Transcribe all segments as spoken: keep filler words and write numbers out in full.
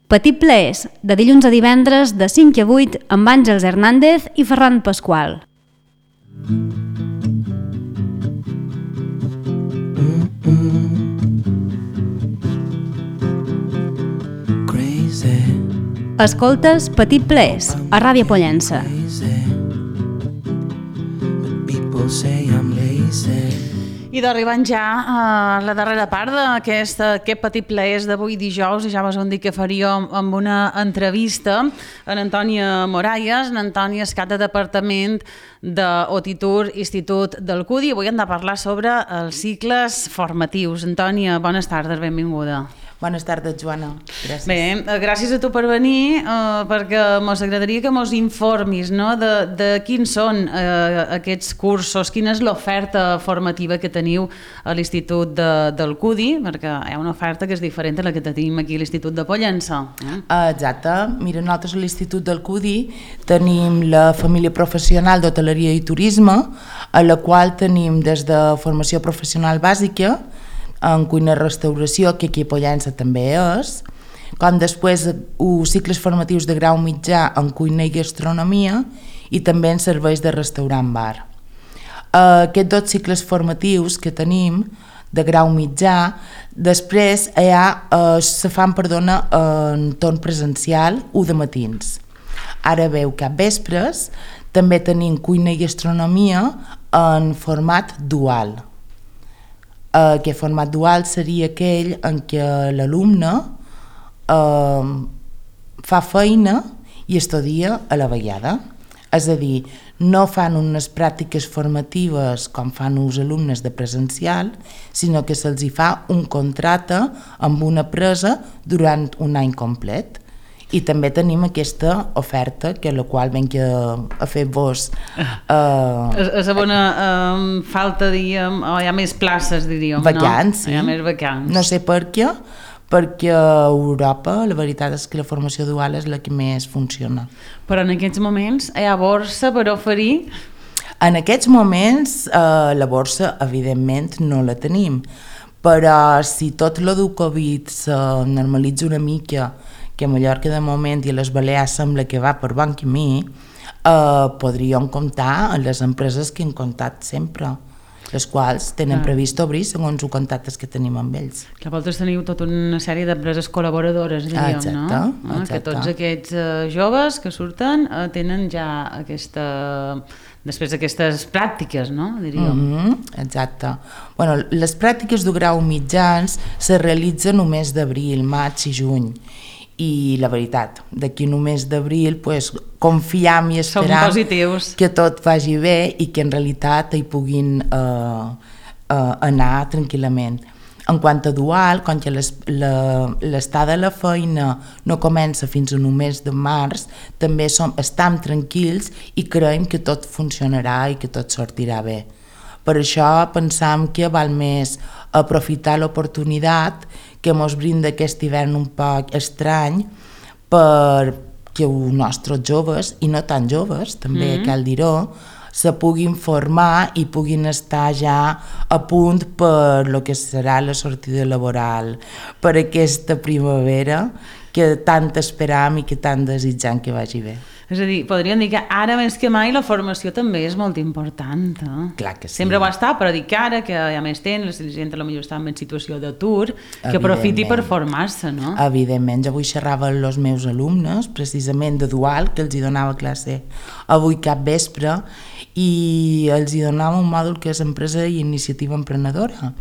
Petit Plaers, de dilluns a divendres de cinc a vuit amb Àngels Hernández i Ferran Pasqual. Escoltes Petit Plaers a Ràdio Pollença. I d'arribant ja a la darrera part d'aquest Petit Plaers d'avui dijous, i ja vos hem dit que faríem amb una entrevista en Antònia Moralles. En Antònia és cap de departament d'Otitur, Institut del C U D I. Avui hem de parlar sobre els cicles formatius. Antònia, bones tardes, benvinguda. Bones tardes, Joana. Gràcies. Bé, gràcies a tu per venir, eh, perquè ens agradaria que ens informis, no?, de, de quins són eh, aquests cursos, quina és l'oferta formativa que teniu a l'Institut de, del C U D I, perquè hi ha una oferta que és diferent a la que tenim aquí a l'Institut de Pollença. Eh? Exacte. Mira, nosaltres a l'Institut del C U D I tenim la família professional d'hoteleria i turisme, a la qual tenim des de formació professional bàsica, en cuina i restauració, que aquí a Pollença també és, com després uns cicles formatius de grau mitjà en cuina i gastronomia i també en serveis de restaurant-bar. Aquests dos cicles formatius que tenim de grau mitjà, després ja eh, se fan, perdona, en torn presencial u de matins. Ara veu cap vespres, també tenim cuina i gastronomia en format dual. Aquest format dual seria aquell en què l'alumne eh, fa feina i estudia a la vegada. És a dir, no fan unes pràctiques formatives com fan els alumnes de presencial, sinó que se'ls hi fa un contracte amb una empresa durant un any complet. I també tenim aquesta oferta, que la qual venc a, a fer-vos... Eh, és bona eh, falta, diríem, o hi ha més places, diríem, vacants, no? Sí. Hi ha més vacants. No sé per què, perquè a Europa la veritat és que la formació dual és la que més funciona. Però en aquests moments hi ha borsa per oferir? En aquests moments eh, la borsa, evidentment, no la tenim, però si tot lo del Covid se normalitza una mica, que a Mallorca de moment i a les Balears sembla que va per bon camí, eh, podríem comptar en les empreses que hem comptat sempre, les quals tenen ah. previst obrir segons els contactes que tenim amb ells. Que vosaltres teniu tota una sèrie d'empreses col·laboradores, diríem, exacte, no? Exacte. Que tots aquests uh, joves que surten uh, tenen ja aquesta... després d'aquestes pràctiques, no? Diríem. Mm-hmm, exacte. Bueno, les pràctiques de grau mitjans se realitzen només d'abril, maig i juny. I la veritat, d'aquí només d'abril pues, confiam i esperam que tot vagi bé i que en realitat hi puguin eh, eh, anar tranquil·lament. En quant a dual, com que l'estada a la feina no comença fins a només de març, també som, estem tranquils i creiem que tot funcionarà i que tot sortirà bé. Per això pensam que val més aprofitar l'oportunitat que ens brinda aquest hivern un poc estrany perquè els nostres joves, i no tan joves, també mm-hmm. cal dir-ho, se puguin formar i puguin estar ja a punt per lo que serà la sortida laboral, per aquesta primavera que tant esperam i que tant desitjam que vagi bé. És a dir, podríem dir que ara més que mai la formació també és molt important. Eh? Clar que sí. Sempre ho està, però dic que ara, que hi ha més temps, la gent potser està en situació d'atur, que aprofiti per formar-se, no? Evidentment, jo avui xerrava amb els meus alumnes, precisament de dual, que els hi donava classe avui cap vespre, i els hi donava un mòdul que és empresa i iniciativa emprenedora.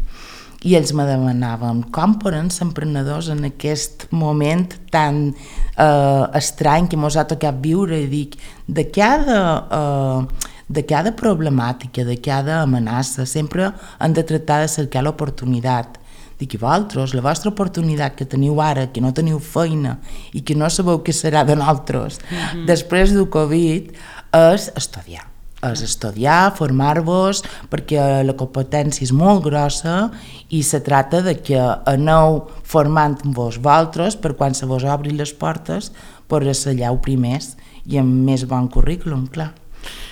I ells me demanaven com poden ser emprenedors en aquest moment tan eh, estrany que mos ha tocat viure, i dic, de cada, eh, de cada problemàtica, de cada amenaça, sempre han de tractar de cercar l'oportunitat. Dic, i vosaltres, la vostra oportunitat que teniu ara, que no teniu feina i que no sabeu què serà de nosaltres, mm-hmm. després del Covid, és estudiar. És estudiar, formar-vos, perquè la competència és molt grossa i se trata de que aneu formant-vos vosaltres per quan se vos obrin les portes per ser allà primers i amb més bon currículum, clar.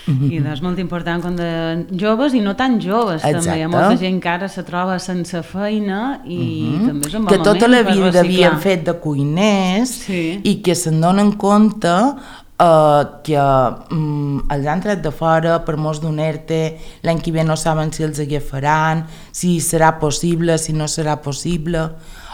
Mm-hmm. I és molt important quan de joves i no tan joves. Exacte. També hi ha molta gent que ara se troba sense feina i mm-hmm. també és un bon que moment tota la per vida reciclar. havien fet de cuiners sí. i que se'n donen compte uh, que um, els han tret de fora per molts d'un E R T E, l'any que ve no saben si els agafaran, si serà possible, si no serà possible,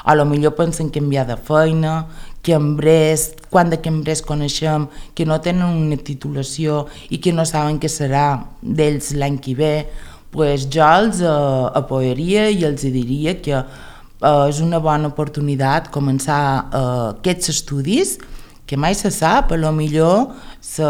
a lo millor pensen canviar de feina, que embrés, quan de cambrers coneixem que no tenen una titulació i que no saben què serà d'ells l'any que ve, pues jo els uh, apoyaria i els diria que uh, és una bona oportunitat començar uh, aquests estudis, que mai se sap, a lo millor se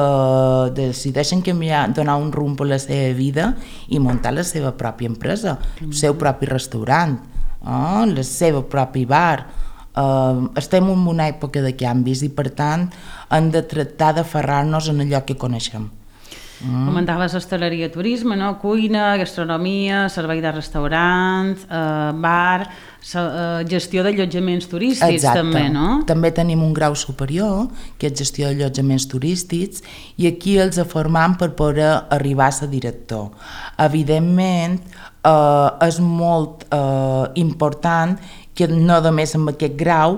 decideixen canviar, donar un rumb a la seva vida i muntar la seva pròpia empresa, el seu propi restaurant, uh, el seu propi bar. Uh, estem en una època de canvis i per tant hem de tractar d'aferrar-nos en allò que coneixem. Mm. Comentaves hostaleria, turisme, no? Cuina, gastronomia, servei de restaurant, eh, bar, eh, gestió d'allotjaments turístics. Exacte. També, no? També tenim un grau superior, que és gestió d'allotjaments turístics, i aquí els formam per poder arribar a ser director. Evidentment, eh, és molt eh, important que no només amb aquest grau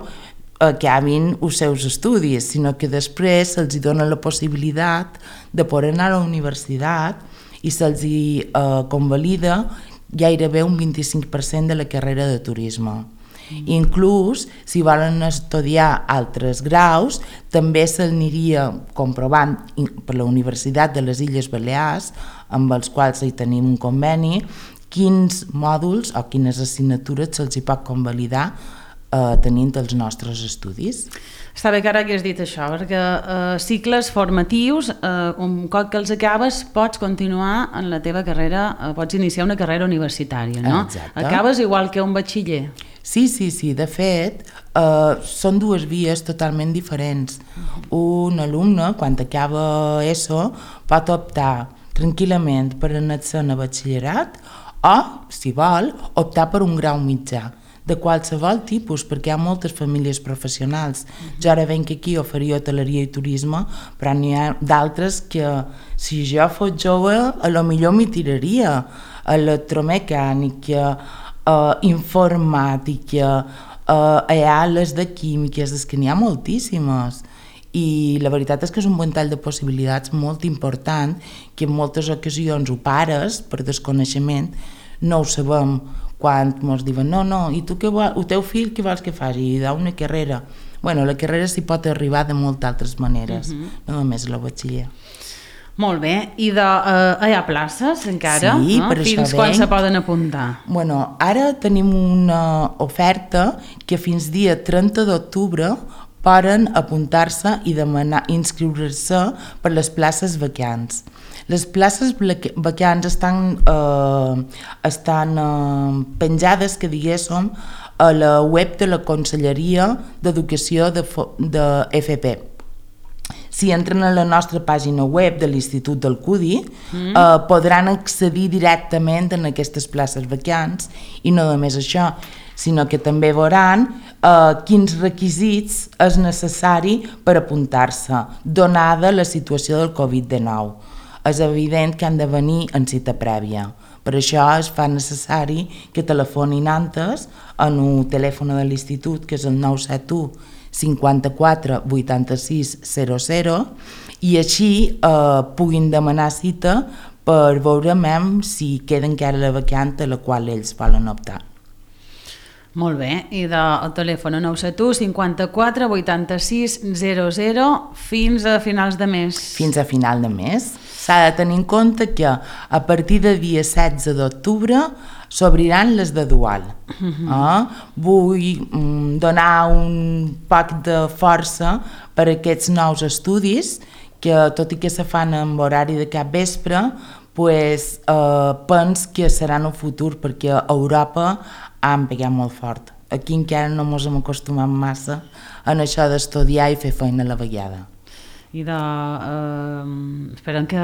acabin els seus estudis, sinó que després se'ls dona la possibilitat de poder anar a la universitat i se'ls hi eh, convalida gairebé un vint-i-cinc per cent de la carrera de turisme. Mm. Inclús, si volen estudiar altres graus, també s'aniria comprovant per la Universitat de les Illes Balears, amb els quals hi tenim un conveni, quins mòduls o quines assignatures se'ls hi pot convalidar eh, tenint els nostres estudis. Està bé que ara que has dit això, perquè eh, cicles formatius, eh, un cop que els acabes, pots continuar en la teva carrera, eh, pots iniciar una carrera universitària, no? Exacte. Acabes igual que un batxiller. Sí, sí, sí. De fet, eh, són dues vies totalment diferents. Un alumne, quan acaba ESO, pot optar tranquil·lament per anar-se'n a batxillerat o, si vol, optar per un grau mitjà, de qualsevol tipus, perquè hi ha moltes famílies professionals. Jo ara venc aquí, oferia hoteleria i turisme, però n'hi ha d'altres que, si jo fos jove, a lo millor m'hi tiraria. Electromecànica, eh, informàtica, eh, hi ha les de químiques, és que n'hi ha moltíssimes. I la veritat és que és un ventall de possibilitats molt important que en moltes ocasions ho pares per desconeixement, no ho sabem quan ens diuen no, no, i tu què vols, el teu fill què vols que faci? I dà una carrera. Bueno, la carrera s'hi pot arribar de moltes altres maneres, uh-huh. no només la batxiller. Molt bé, i de, uh, hi ha places encara? Sí, no? per això Fins quan se poden apuntar? Bueno, ara tenim una oferta que fins dia trenta d'octubre poden apuntar-se i demanar inscriure-se per les places vacants. Les places vacants estan, eh, estan eh, penjades, que diguéssim, a la web de la Conselleria d'Educació de, de F P. Si entren a la nostra pàgina web de l'Institut del C U D I, mm. eh, podran accedir directament en aquestes places vacants, i no només això, sinó que també veuran eh, quins requisits és necessari per apuntar-se, donada la situació del covid dinou. És evident que han de venir en cita prèvia. Per això es fa necessari que telefonin antes en el telèfon de l'institut, que és el nou set u cinquanta-quatre vuitanta-sis zero zero, i així eh, puguin demanar cita per veure si queda encara la vacant a la qual ells volen optar. Molt bé, i del telèfon nou set u cinquanta-quatre vuitanta-sis zero zero fins a finals de mes. Fins a final de mes. S'ha de tenir en compte que a partir del dia setze d'octubre s'obriran les de dual. Uh-huh. eh? Vull mm, donar un poc de força per a aquests nous estudis, que tot i que se fan en horari de cap vespre, pues, eh, pens que seran el futur, perquè a Europa han pegat molt fort. Aquí encara no ens hem acostumat massa en això d'estudiar i fer feina a la vegada. I de... Eh, esperem que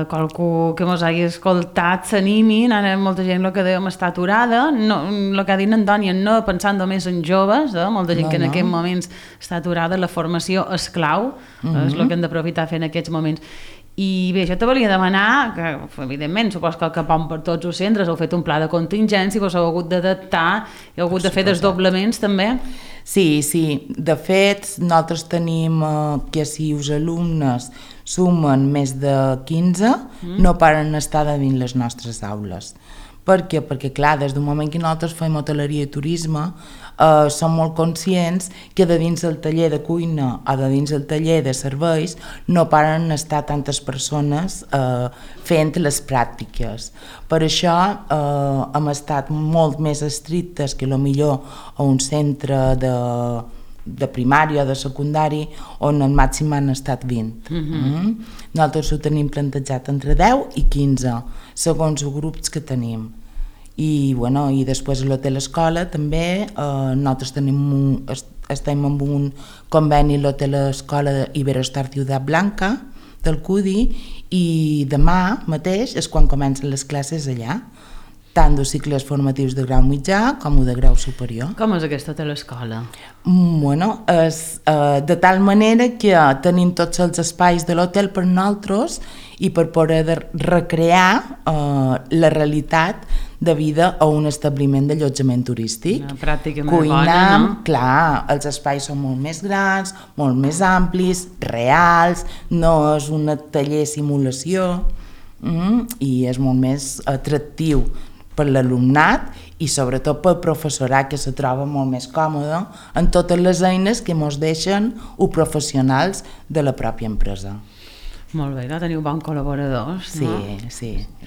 qualcú que mos hagi escoltat s'animin. Ara molta gent el que dèiem està aturada, no, el que ha dit Antònia, no pensant només en joves, eh? Molta gent no, que en no. aquests moments està aturada, la formació és clau, uh-huh. és el que hem d'aprofitar fent en aquests moments. I bé, jo te volia demanar, que evidentment supos que cap on per tots els centres heu fet un pla de contingència, vos heu hagut d'adaptar, heu hagut de fer desdoblaments també? Sí, sí. De fet, nosaltres tenim eh, que si els alumnes sumen més de quinze, mm. no paren estar de dins les nostres aules. Per què? Perquè, clar, des del moment que nosaltres fem hoteleria i turisme, eh, som molt conscients que de dins del taller de cuina o de dins del taller de serveis no paren estar tantes persones eh, fent les pràctiques. Per això eh, hem estat molt més estrictes que millor a un centre de, de primària o de secundari on al màxim han estat vint. Mm-hmm. mm? Nosaltres ho tenim plantejat entre deu i quinze, segons els grups que tenim. I, bueno, i després a l'hotel escola també, eh, nosaltres tenim un, estem amb un conveni a l'hotel escola Iberostar Ciutat Blanca del C U D I i demà mateix és quan comencen les classes allà, tant dels cicles formatius de grau mitjà com de grau superior. Com és aquesta hotel escola? Bueno, és eh, de tal manera que tenim tots els espais de l'hotel per nosaltres i per poder recrear eh, la realitat de vida a un establiment d'allotjament turístic. Una pràctica molt Cuinam, bona, no? Clar, els espais són molt més grans, molt més amplis, reals, no és un taller simulació, mm, i és molt més atractiu per l'alumnat i sobretot pel professorat, que se troba molt més còmode en totes les eines que ens deixen els professionals de la pròpia empresa. Molt bé, no? Teniu bons col·laboradors, sí, no? Sí, sí.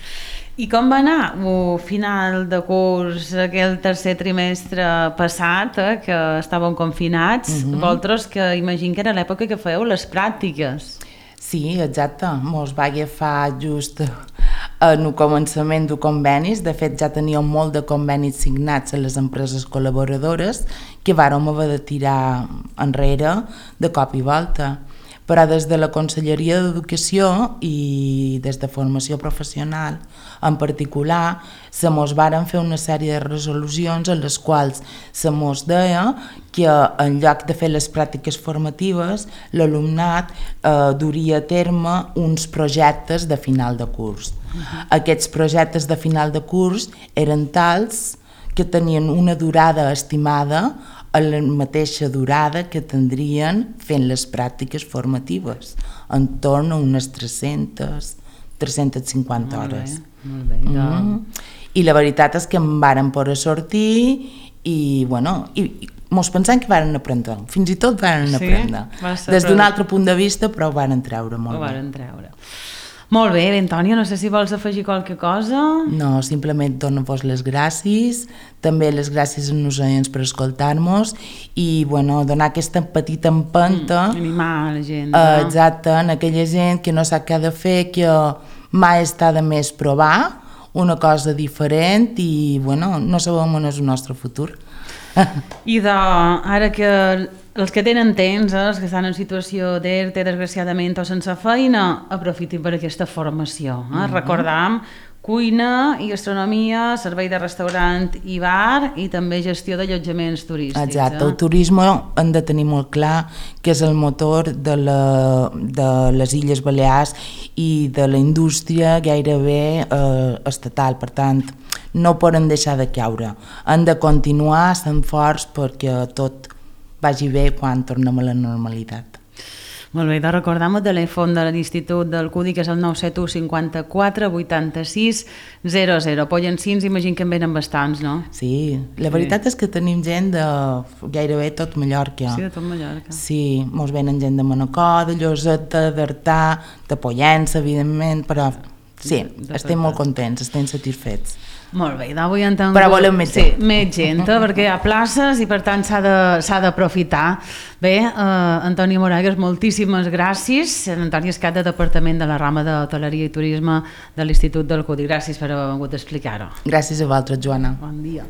I com va anar el final de curs, aquell tercer trimestre passat, eh, que estàvem confinats? Mm-hmm. Vosaltres, que imagino que era l'època que fèieu les pràctiques. Sí, exacte. Mos va agafar just en el començament de convenis. De fet, ja teníem molt de convenis signats a les empreses col·laboradores que vàrem haver de tirar enrere de cop i volta. Però des de la Conselleria d'Educació i des de Formació Professional en particular se mos varen fer una sèrie de resolucions en les quals se mos deia que en lloc de fer les pràctiques formatives l'alumnat eh, duria a terme uns projectes de final de curs. Uh-huh. Aquests projectes de final de curs eren tals que tenien una durada estimada a la mateixa durada que tindrien fent les pràctiques formatives, en torn a unes tres-centes, tres-centes cinquanta hores. Molt bé, molt bé. Mm. I la veritat és que em varen poder sortir i, bueno, i, i mos pensem que varen aprendre, fins i tot varen sí? aprendre. Des d'un altre punt de vista, però ho varen treure molt ho bé. varen treure. Molt bé, Antònia, no sé si vols afegir qualque cosa. No, simplement donar-vos les gràcies, també les gràcies a nosaltres per escoltar-nos i bueno, donar aquesta petita empenta mm, animar la gent. Uh, exacte, en aquella gent que no sap què ha de fer, que mai està de més provar una cosa diferent i bueno, no sabem on és el nostre futur. I de, ara que els que tenen temps, eh, els que estan en situació d'E R T E, desgraciadament, o sense feina, aprofitin per aquesta formació. Eh? Mm-hmm. Recordam, cuina i gastronomia, servei de restaurant i bar i també gestió d'allotjaments turístics. Exacte, eh? el turisme hem de tenir molt clar que és el motor de, la, de les Illes Balears i de la indústria gairebé eh, estatal, per tant, no poden deixar de caure. Han de continuar sent forts perquè tot vagi bé quan tornem a la normalitat. Molt bé, de recordar-me el telèfon de l'Institut del C U D I, que és el nou set u cinquanta-quatre vuitanta-sis zero zero. Pollencins, imagino que en venen bastants, no? Sí, la veritat sí. És que tenim gent de gairebé tot Mallorca. Sí, de tot Mallorca. Sí, mos venen gent de Manacor, de Lloseta, d'Artà, de Pollença, evidentment, però sí, de, de estem molt contents, estem satisfets. Molt bé, d'avui entenc... Però volem més gent. Sí, més gent, perquè hi ha places i per tant s'ha d'aprofitar. Bé, eh, Antònia Moragues, moltíssimes gràcies. Antònia és cap de Departament de la rama d'Hoteleria i Turisme de l'Institut del C U D I. Gràcies per haver vingut a explicar-ho. Gràcies a vosaltres, Joana. Bon dia.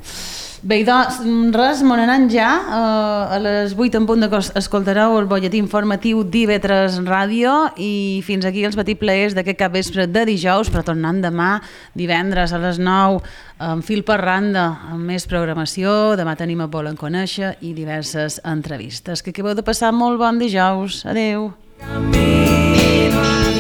Bé, doncs, res, m'on anant ja. Uh, a les vuit en punt de escoltareu el butlletí informatiu d'I V tres Ràdio i fins aquí els petits plaers d'aquest capvespre de dijous, però tornant demà, divendres a les nou, amb fil per randa, amb més programació. Demà tenim a Volen Conèixer i diverses entrevistes. Que acabeu de passar molt bon dijous. Adeu. Camino.